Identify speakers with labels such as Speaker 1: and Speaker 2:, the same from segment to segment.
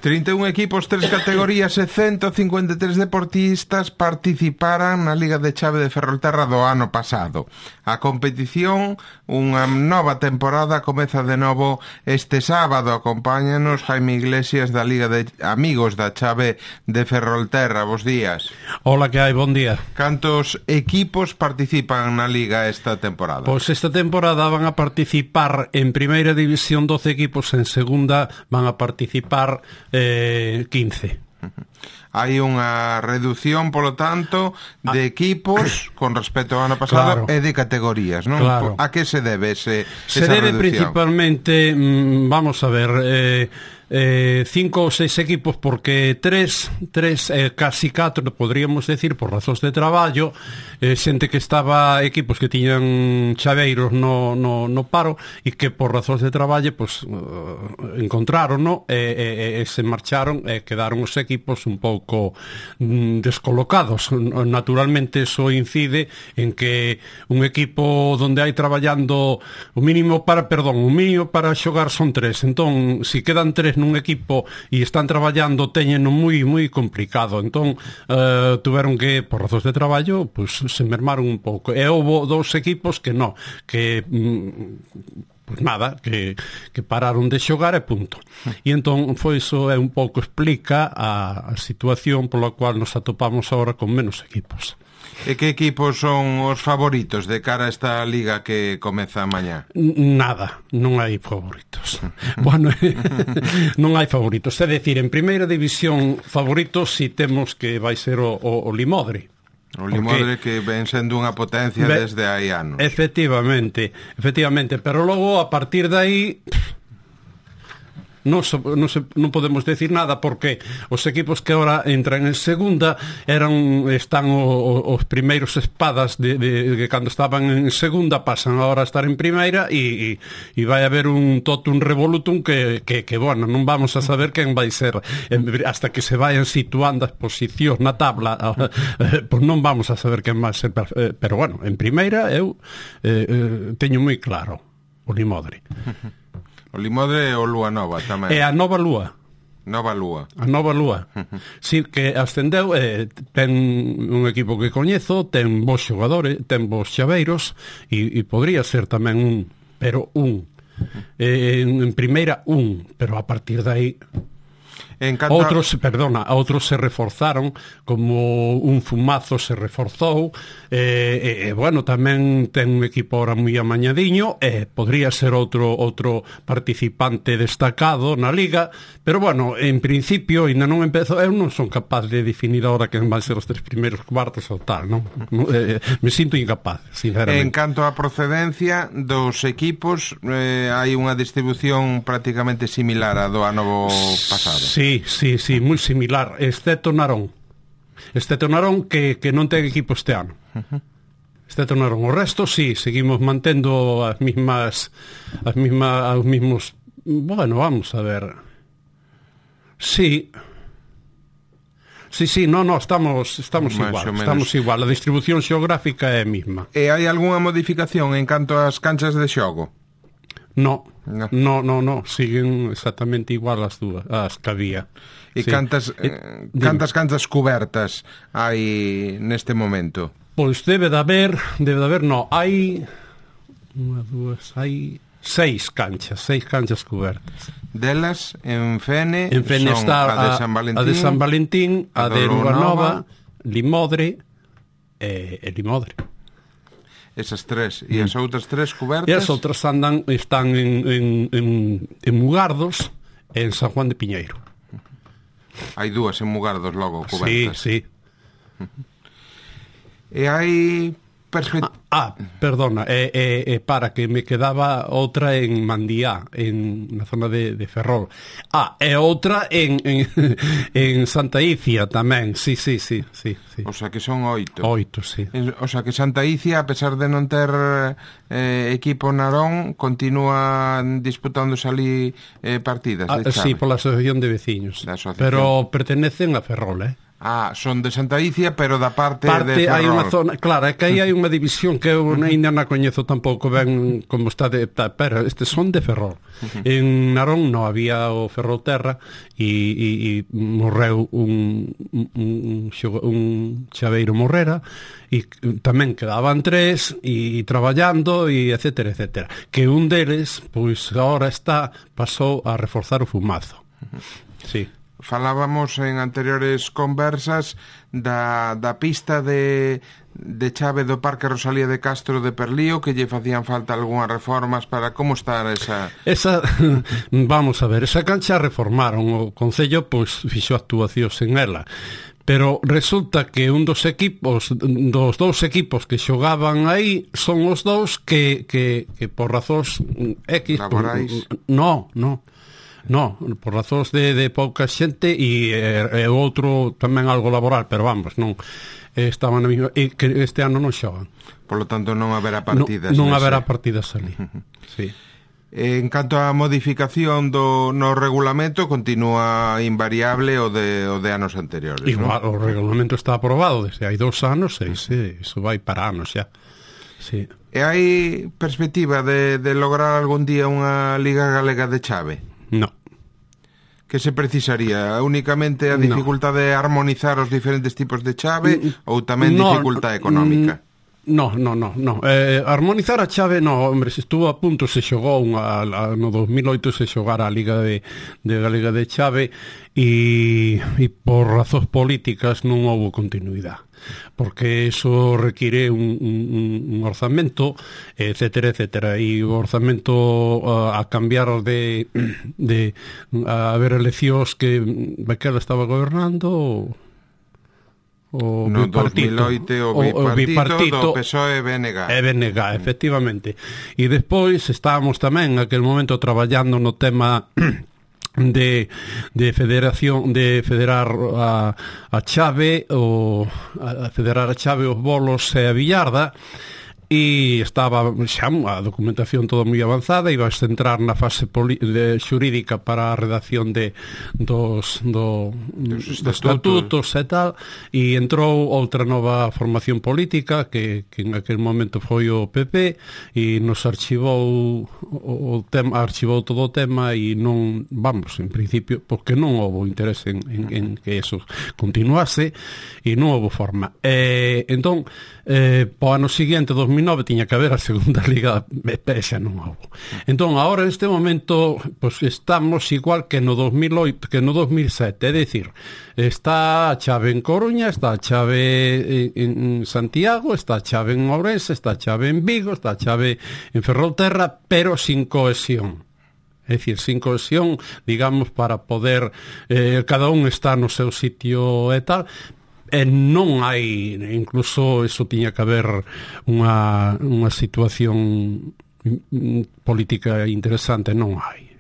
Speaker 1: 31 equipos, 3 categorías e 153 deportistas participaran na Liga de Chave de Ferrolterra do ano pasado. A competición, unha nova temporada, comeza de novo este sábado. Acompáñanos Jaime Iglesias da Liga de Amigos da Chave de Ferrolterra. Bos días.
Speaker 2: Hola, que hai? Bon día.
Speaker 1: Cantos equipos participan na Liga esta temporada?
Speaker 2: Pois esta temporada van a participar en Primeira División 12 equipos, en Segunda van a participar 15.
Speaker 1: Hai unha reducción, polo tanto, de equipos con respecto ao ano pasado, claro, e de categorías, non?
Speaker 2: Claro.
Speaker 1: A que se debe esa
Speaker 2: debe
Speaker 1: reducción?
Speaker 2: Principalmente, vamos a ver, 5 ou 6 equipos, porque 3 casi 4, podríamos decir, por razóns de traballo, xente que estaba, equipos que tiñan chaveiros no paro e que por razóns de traballo pues, encontraron, no? E se marcharon e quedaron os equipos un pouco descolocados. Naturalmente eso incide en que un equipo donde hai traballando o mínimo para xogar son 3, entón se quedan 3 nun equipo e están traballando, teñeno moi complicado, entón tuveron que, por razóns de traballo, pues se mermaron un pouco, e houve 2 equipos que non, que pues nada, que pararon de xogar e punto. E entón foi iso, un pouco explica a situación pola cual nos atopamos agora con menos equipos.
Speaker 1: E que equipos son os favoritos de cara a esta liga que comeza mañá?
Speaker 2: Nada, non hai favoritos. Bueno, non hai favoritos. É dicir, en Primeira División favoritos si temos que vai ser o Limodre.
Speaker 1: O Limodre, que ven sendo unha potencia desde hai anos. Efectivamente,
Speaker 2: pero logo a partir de aí non podemos decir nada, porque os equipos que agora entran en segunda están os primeiros espadas de cando estaban en segunda, pasan agora a estar en primeira e vai haber un totum revolutum que bueno, non vamos a saber quen vai ser hasta que se vayan situando as posicións na tabla, pois non vamos a saber quen vai ser, pero bueno, en primeira eu teño moi claro o Limodre.
Speaker 1: O Limodre e o Lúa Nova tamén.
Speaker 2: E a Nova Lúa. A Nova Lúa. Si, que ascendeu, ten un equipo que coñezo, ten bons xogadores, ten bons chaveiros, e podría ser tamén en primeira pero a partir de aí outros se reforzaron, como un Fumazo se reforzou, bueno, tamén ten un equipo ahora moi amañadiño, podría ser outro participante destacado na liga, pero bueno, en principio ainda non empezo, eu non son capaz de definir ahora quen van ser os 3 primeiros cuartos ou tal, non? Me sinto incapaz, sinceramente.
Speaker 1: En canto á procedencia dos equipos, hai unha distribución prácticamente similar a do ano pasado.
Speaker 2: Sí, moi similar, excepto Narón, que non ten equipo este ano. Excepto Narón. O resto, sí, seguimos mantendo os mismos... Bueno, vamos a ver. Sí, estamos igual. A distribución xeográfica é a mesma.
Speaker 1: E hai algunha modificación en canto ás canchas de xogo?
Speaker 2: No, siguen exactamente igual as que había.
Speaker 1: E sí. Cantas canchas cubertas hai neste momento?
Speaker 2: Pois debe de haber, hai 6 canchas cubertas.
Speaker 1: Delas, en Fene
Speaker 2: son está a de San Valentín, a de Lúa Nova, Limodre e Limodre.
Speaker 1: Esas 3, e as outras 3 cubertas?
Speaker 2: E as outras están en Mugardos e en San Juan de Piñeiro.
Speaker 1: Hai 2 en Mugardos logo cubertas.
Speaker 2: Sí.
Speaker 1: E hai
Speaker 2: perdona, para que me quedaba outra en Mandiá, na zona de Ferrol. E outra en Santa Icia tamén, sí.
Speaker 1: O sea que son 8.
Speaker 2: 8, sí.
Speaker 1: O sea que Santa Icia, a pesar de non ter equipo Narón, continúa disputándose ali partidas de chave.
Speaker 2: Sí, pola asociación de veciños, pero pertenecen a Ferrol,
Speaker 1: son de Santa Icia, pero da parte de Ferrol.
Speaker 2: Hai unha zona, claro, é que aí hai unha división que eu ainda non coñezo tampouco ben como está pero estes son de Ferrol. En Narón non había o Ferrolterra e morreu un chaveiro Morrera e tamén quedaban 3 e traballando e etcétera, etcétera. Que un deles, pois agora pasou a reforzar o fumazo. Sí.
Speaker 1: Falábamos en anteriores conversas da pista de chave do Parque Rosalía de Castro de Perlío, que lle facían falta algunhas reformas para como estar esa...
Speaker 2: Vamos a ver, esa cancha reformaron, o Concello pois fixo actuacións en ela, pero resulta que un dos dous equipos que xogaban aí son os dous que por razóns X...
Speaker 1: Laborais?
Speaker 2: No, por razóns de pouca xente e o outro tamén algo laboral, pero vamos, non estaban na mesma, e que este ano non xogan.
Speaker 1: Por lo tanto non haberá partidas.
Speaker 2: Non haberá partidas ali. Sí.
Speaker 1: En canto á modificación no regulamento, continúa invariable o de anos anteriores.
Speaker 2: Igual,
Speaker 1: ¿no?
Speaker 2: O regulamento está aprobado desde hai 2 anos e iso vai para anos xa. Sí.
Speaker 1: E hai perspectiva de lograr algún día unha Liga Galega de chave?
Speaker 2: No.
Speaker 1: Que se precisaría? Únicamente a dificultade de armonizar os diferentes tipos de chave ou tamén dificultade económica?
Speaker 2: No. Armonizar a chave, hombre, se estuvo a punto, se xogou no 2008 se xogara a Liga de Galega de chave e por razóns políticas non houve continuidade, porque eso require un orzamento, etcétera, etcétera, e o orzamento a cambiar de a haber eleccións que Bequela estaba gobernando o bipartito,
Speaker 1: o bipartito do PSOE e BNG.
Speaker 2: Efectivamente. E despois estábamos tamén naquel momento traballando no tema de federación, de federar a chave, a federar a chave, os bolos e a billarda, e estaba xa a documentación toda moi avanzada, iba a entrar na fase xurídica para a redacción dos estatutos e tal, e entrou outra nova formación política que en aquel momento foi o PP e nos archivou todo o tema e non, vamos, en principio, porque non houve interés en que eso continuase e non houve forma. Entón, po ano seguinte, 2009, tiña que haber a segunda liga, xa non houve. Entón, agora, neste momento, pues, estamos igual que no 2008, que no 2007, é dicir, está a chave en Coruña, está a chave en Santiago, está a chave en Ourense, está a chave en Vigo, está a chave en Ferrolterra, pero sin cohesión. É dicir, sin cohesión, digamos, para poder cada un está no seu sitio e tal. E non hai, incluso eso tiña que haber unha situación política interesante, non hai.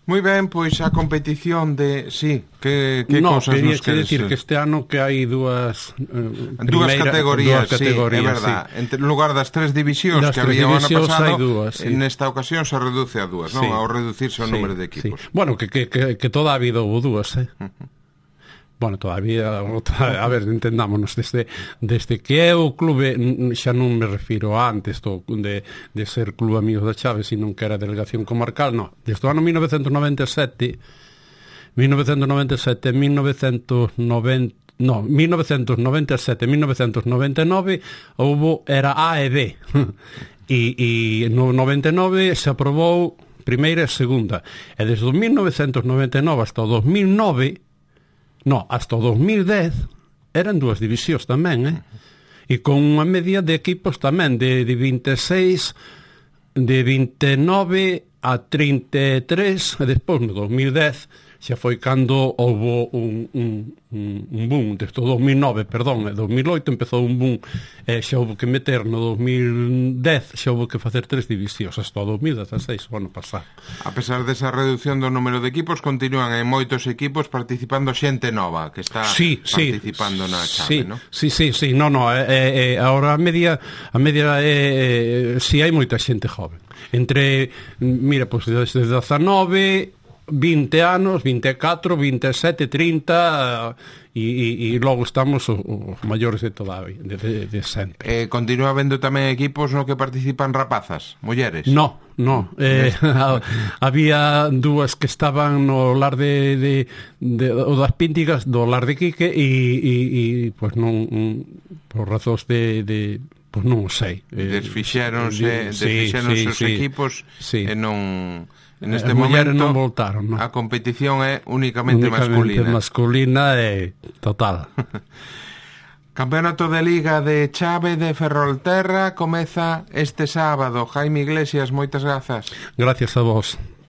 Speaker 1: Moi ben, pois a competición de... Sí, que cosas nos queres
Speaker 2: decir que este ano que hai dúas
Speaker 1: categorías, sí, é verdad.
Speaker 2: Sí.
Speaker 1: En lugar das 3 divisións que había o ano pasado,
Speaker 2: sí.
Speaker 1: Nesta ocasión se reduce a 2, non? Ao reducirse o número de equipos.
Speaker 2: Sí. Bueno, que toda a vida houve 2, Bueno, todavía, a ver, entendámonos, desde que é o clube, xa non me refiro a antes de ser Club Amigos da Chave, sino que era delegación comarcal, no, desde o ano 1997, 1997, 1999, era A e B, e no 99 se aprobou primeira e segunda, e desde o 1999 hasta o 2009, hasta o 2010 eran 2 divisións tamén, e con unha media de equipos tamén de 26, de 29 a 33, e despois no 2010 xa foi cando houve un boom, desde o 2009, perdón, 2008 empezou un boom, xa houve que meter no 2010, xa houve que facer 3 divisións hasta o 2016, o ano pasado.
Speaker 1: A pesar desa reducción do número de equipos, continúan en moitos equipos participando xente nova que está participando na chave, non?
Speaker 2: Sí, agora a media si hai moita xente joven. Entre, mira, pois desde 19 20 anos, 24, 27, 30 e logo estamos os maiores de toda a vida, de sempre.
Speaker 1: Continúa habendo tamén equipos no que participan rapazas, mulleres?
Speaker 2: No. Había dúas que estaban no lar de o das Píntigas, do lar de Quique e pois non, por razóns de pois non o sei.
Speaker 1: Desfixéronse os equipos e non... En este
Speaker 2: momento
Speaker 1: momento
Speaker 2: non voltaron, no?
Speaker 1: A competición é únicamente masculina
Speaker 2: e total.
Speaker 1: Campeonato de Liga de Chave de Ferrolterra comeza este sábado. Jaime Iglesias, moitas grazas.
Speaker 2: Gracias a vos.